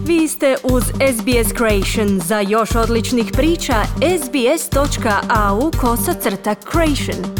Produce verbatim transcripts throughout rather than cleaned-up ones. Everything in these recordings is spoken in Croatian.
Vi ste uz S B S Creation. Za još odličnih priča, sbs.au kosacrta creation.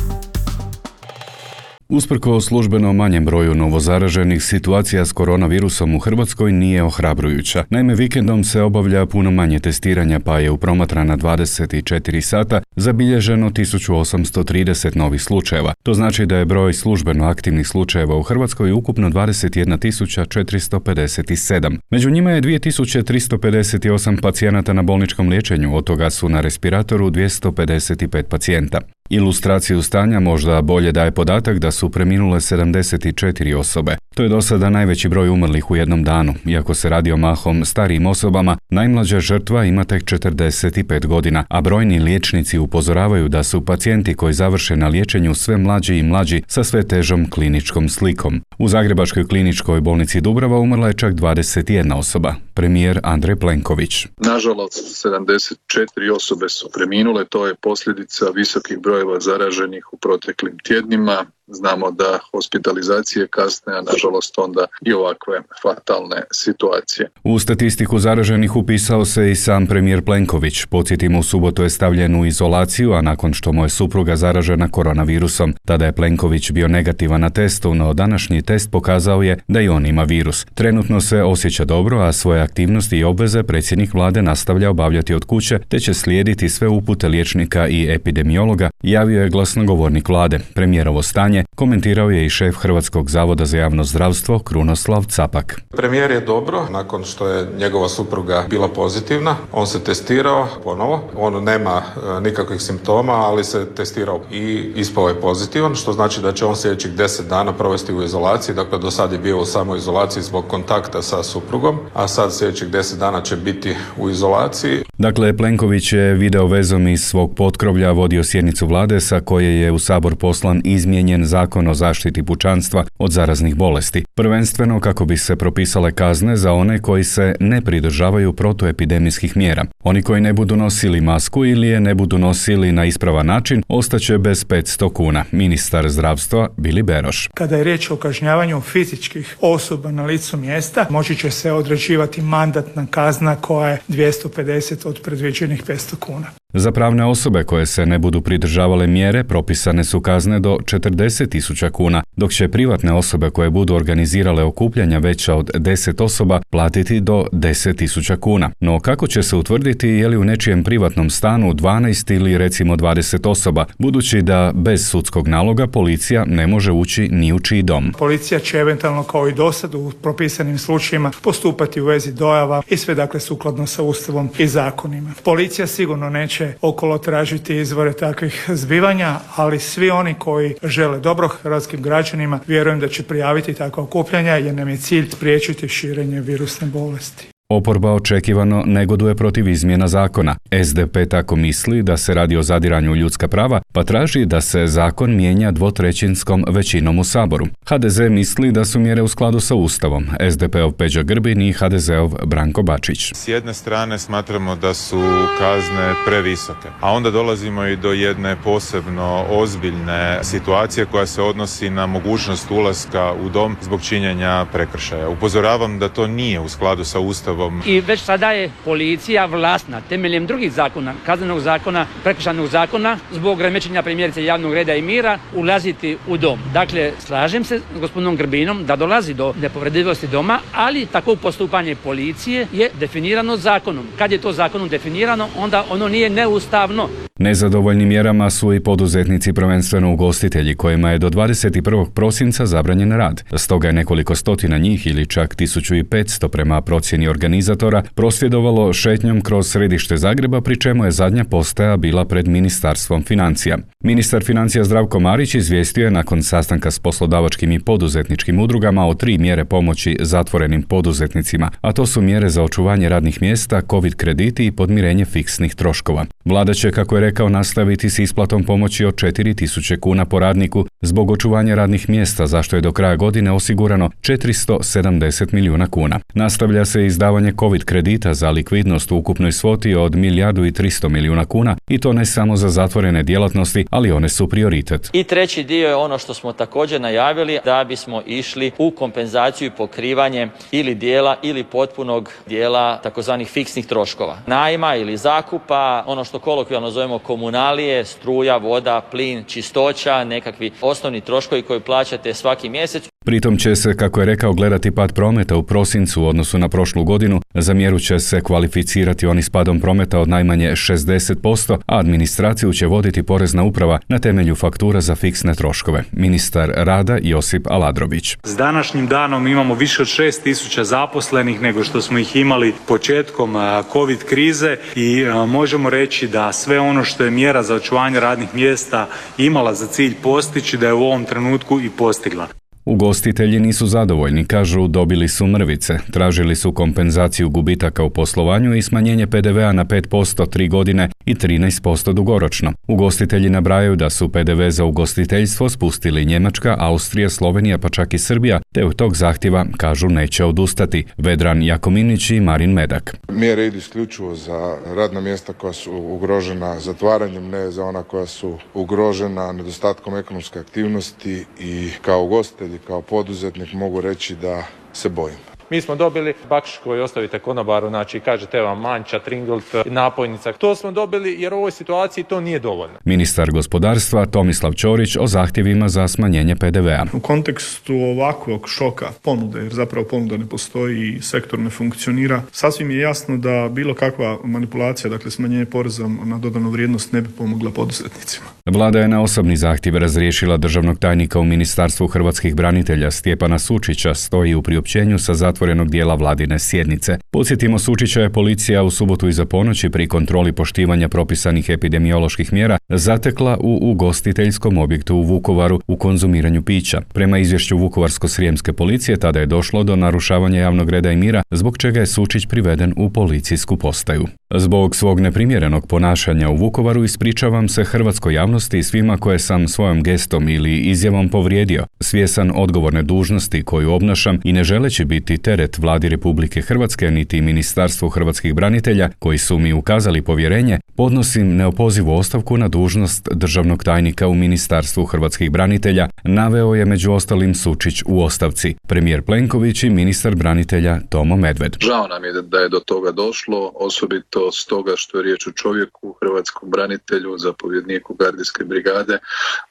Usprko službeno manjem broju novozaraženih, situacija s koronavirusom u Hrvatskoj nije ohrabrujuća. Naime, vikendom se obavlja puno manje testiranja, pa je u promatrana dvadeset četiri sata zabilježeno tisuću osamsto trideset novih slučajeva. To znači da je broj službeno aktivnih slučajeva u Hrvatskoj ukupno dvadeset jedna tisuća četiristo pedeset sedam. Među njima je dvije tisuće tristo pedeset osam pacijenata na bolničkom liječenju, od toga su na respiratoru dvjesto pedeset pet pacijenta. Ilustraciju stanja možda bolje daje podatak da su preminule sedamdeset četiri osobe. To je do sada najveći broj umrlih u jednom danu. Iako se radi o mahom starijim osobama, najmlađa žrtva ima tek četrdeset pet godina, a brojni liječnici upozoravaju da su pacijenti koji završe na liječenju sve mlađi i mlađi sa sve težom kliničkom slikom. U Zagrebačkoj kliničkoj bolnici Dubrava umrla je čak dvadeset jedna osoba. Premijer Andrej Plenković. Nažalost, sedamdeset četiri osobe su preminule, to je posljedica visokih brojeva zaraženih u proteklim tjednima. Znamo da hospitalizacije kasne, a nažalost onda i ovakve fatalne situacije. U statistiku zaraženih upisao se i sam premijer Plenković. Podsjetimo, u subotu je stavljen u izolaciju, a nakon što mu je supruga zaražena koronavirusom. Tada je Plenković bio negativan na testu, no današnji test pokazao je da i on ima virus. Trenutno se osjeća dobro, a svoje aktivnosti i obveze predsjednik vlade nastavlja obavljati od kuće, te će slijediti sve upute liječnika i epidemiologa, javio je glasnogovornik vlade. Premijerovo stanje komentirao je i šef Hrvatskog zavoda za javno zdravstvo Krunoslav Capak. Premijer je dobro, nakon što je njegova supruga bila pozitivna, on se testirao ponovo, on nema e, nikakvih simptoma, ali se testirao i ispao je pozitivan, što znači da će on sljedećih deset dana provesti u izolaciji, dakle do sad je bio u samoizolaciji zbog kontakta sa suprugom, a sad sljedećih deset dana će biti u izolaciji. Dakle, Plenković je video vezom iz svog potkrovlja vodio sjednicu vlade sa koje je u Sabor poslan izmijenjen Zakon o zaštiti pučanstva od zaraznih bolesti, prvenstveno kako bi se propisale kazne za one koji se ne pridržavaju protuepidemijskih mjera. Oni koji ne budu nosili masku ili je ne budu nosili na ispravan način ostaće bez petsto kuna. Ministar zdravstva Vili Beroš. Kada je riječ o kažnjavanju fizičkih osoba na licu mjesta, moći će se određivati mandatna kazna koja je dvjesto pedeset od predviđenih petsto kuna. Za pravne osobe koje se ne budu pridržavale mjere propisane su kazne do četrdeset tisuća kuna, dok će privatne osobe koje budu organizirale okupljanja veća od deset osoba platiti do deset tisuća kuna. No kako će se utvrditi je li u nečijem privatnom stanu dvanaest ili recimo dvadeset osoba, budući da bez sudskog naloga policija ne može ući ni u čiji dom? Policija će eventualno kao i dosad u propisanim slučajevima postupati u vezi dojava i sve dakle sukladno sa Ustavom i zakonima. Policija sigurno neće okolo tražiti izvore takvih zbivanja, ali svi oni koji žele dobro hrvatskim građanima vjerujem da će prijaviti takva okupljanja jer nam je cilj spriječiti širenje virusne bolesti. Oporba očekivano negoduje protiv izmjena zakona. S D P tako misli da se radi o zadiranju u ljudska prava, pa traži da se zakon mijenja dvotrećinskom većinom u Saboru. H D Z misli da su mjere u skladu sa Ustavom. S D P-ov Peđa Grbin i H D Z-ov Branko Bačić. S jedne strane smatramo da su kazne previsoke, a onda dolazimo i do jedne posebno ozbiljne situacije koja se odnosi na mogućnost ulaska u dom zbog činjenja prekršaja. Upozoravam da to nije u skladu sa Ustavom. I već sada je policija vlasna temeljem drugih zakona, kaznenog zakona, prekršajnog zakona, zbog remećenja primjerice javnog reda i mira, ulaziti u dom. Dakle, slažem se s gospodinom Grbinom da dolazi do nepovredivosti doma, ali takvo postupanje policije je definirano zakonom. Kad je to zakonom definirano, onda ono nije neustavno. Nezadovoljni mjerama su i poduzetnici, prvenstveno ugostitelji, kojima je do dvadeset prvog prosinca zabranjen rad. Stoga je nekoliko stotina njih ili čak tisuću petsto prema procjeni organizatora prosvjedovalo šetnjom kroz središte Zagreba, pri čemu je zadnja postaja bila pred Ministarstvom financija. Ministar financija Zdravko Marić izvijestio je nakon sastanka s poslodavačkim i poduzetničkim udrugama o tri mjere pomoći zatvorenim poduzetnicima, a to su mjere za očuvanje radnih mjesta, covid krediti i podmirenje fiksnih troškova. Vlada će, kako je rekao rekao nastaviti s isplatom pomoći od četiri tisuće kuna po radniku zbog očuvanja radnih mjesta, za što je do kraja godine osigurano četiristo sedamdeset milijuna kuna. Nastavlja se izdavanje COVID kredita za likvidnost u ukupnoj svoti od milijardu i tristo milijuna kuna i to ne samo za zatvorene djelatnosti, ali one su prioritet. I treći dio je ono što smo također najavili, da bismo išli u kompenzaciju i pokrivanje ili dijela ili potpunog dijela takozvanih fiksnih troškova. Najma ili zakupa, ono što kolokvijalno zovemo komunalije, struja, voda, plin, čistoća, nekakvi osnovni troškovi koji plaćate svaki mjesec. Pritom će se, kako je rekao, gledati pad prometa u prosincu u odnosu na prošlu godinu. Za mjeru će se kvalificirati oni s padom prometa od najmanje šezdeset posto, a administraciju će voditi Porezna uprava na temelju faktura za fiksne troškove. Ministar rada Josip Aladrović. S današnjim danom imamo više od šest tisuća zaposlenih nego što smo ih imali početkom COVID krize i možemo reći da sve ono što je mjera za očuvanje radnih mjesta imala za cilj postići, da je u ovom trenutku i postigla. Ugostitelji nisu zadovoljni, kažu dobili su mrvice, tražili su kompenzaciju gubitaka u poslovanju i smanjenje pe de vea na pet posto tri godine i trinaest posto dugoročno. Ugostitelji nabrajaju da su pe de ve za ugostiteljstvo spustili Njemačka, Austrija, Slovenija pa čak i Srbija, te od tog zahtjeva, kažu, neće odustati. Vedran Jakominić i Marin Medak. Mjere idu isključivo za radna mjesta koja su ugrožena zatvaranjem, ne za ona koja su ugrožena nedostatkom ekonomske aktivnosti i kao ugostitelj i kao poduzetnik mogu reći da se bojim. Mi smo dobili bakšiš koji ostavite konobaru, znači kažete vam manča, tringlt, napojnica. To smo dobili jer u ovoj situaciji to nije dovoljno. Ministar gospodarstva Tomislav Ćorić o zahtjevima za smanjenje pe de vea. U kontekstu ovakvog šoka ponude, jer zapravo ponuda ne postoji i sektor ne funkcionira, sasvim je jasno da bilo kakva manipulacija, dakle smanjenje poreza na dodanu vrijednost, ne bi pomogla poduzetnicima. Vlada je na osobni zahtjev razriješila državnog tajnika u Ministarstvu hrvatskih branitelja Stjepana Sučića, stoji u priopćenju sa zatvorenog dijela vladine sjednice. Podsjetimo, Sučića je policija u subotu iza ponoći pri kontroli poštivanja propisanih epidemioloških mjera zatekla u ugostiteljskom objektu u Vukovaru u konzumiranju pića. Prema izvješću Vukovarsko-srijemske policije tada je došlo do narušavanja javnog reda i mira, zbog čega je Sučić priveden u policijsku postaju. Zbog svog neprimjerenog ponašanja u Vukovaru ispričavam se hrvatskoj javnosti i svima koje sam svojom gestom ili izjavom povrijedio. Svjesan odgovorne dužnosti koju obnašam i ne želeći biti teret Vladi Republike Hrvatske niti Ministarstvu hrvatskih branitelja koji su mi ukazali povjerenje, podnosim neopozivu ostavku na dužnost državnog tajnika u Ministarstvu hrvatskih branitelja, naveo je među ostalim Sučić u ostavci. Premijer Plenković i ministar branitelja Tomo Medved. Žao nam je da je do toga došlo, osobito stoga što je riječ o čovjeku, hrvatskom branitelju, zapovjedniku gardijske brigade,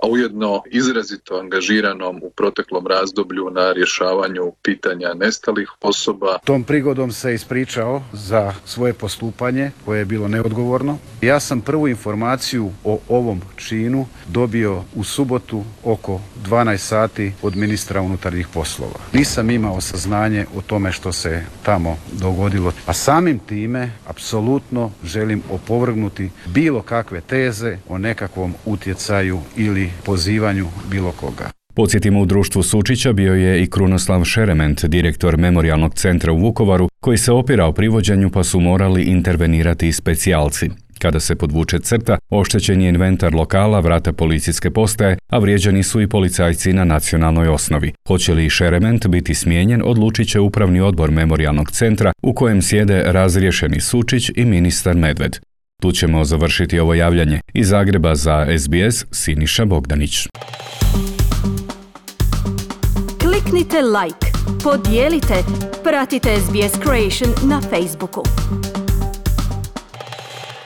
a ujedno izrazito angažiranom u proteklom razdoblju na rješavanju pitanja nestalih osoba. Tom prigodom se ispričao za svoje postupanje koje je bilo neodgovorno. Ja sam prvu informaciju o ovom činu dobio u subotu oko dvanaest sati od ministra unutarnjih poslova. Nisam imao saznanje o tome što se tamo dogodilo, a samim time apsolutno želim opovrgnuti bilo kakve teze o nekakvom utjecaju ili pozivanju bilo koga. Podsjetimo, u društvu Sučića bio je i Krunoslav Šerement, direktor Memorijalnog centra u Vukovaru, koji se opirao privođenju pa su morali intervenirati i specijalci. Kada se podvuče crta, oštećen je inventar lokala, vrata policijske postaje, a vrijeđani su i policajci na nacionalnoj osnovi. Hoće li Šerement biti smijenjen, odlučit će upravni odbor Memorijalnog centra u kojem sjede razriješeni Sučić i ministar Medved. Tu ćemo završiti ovo javljanje. Iz Zagreba za es be es, Siniša Bogdanić. Kliknite like, podijelite, pratite es be es Creation na Facebooku.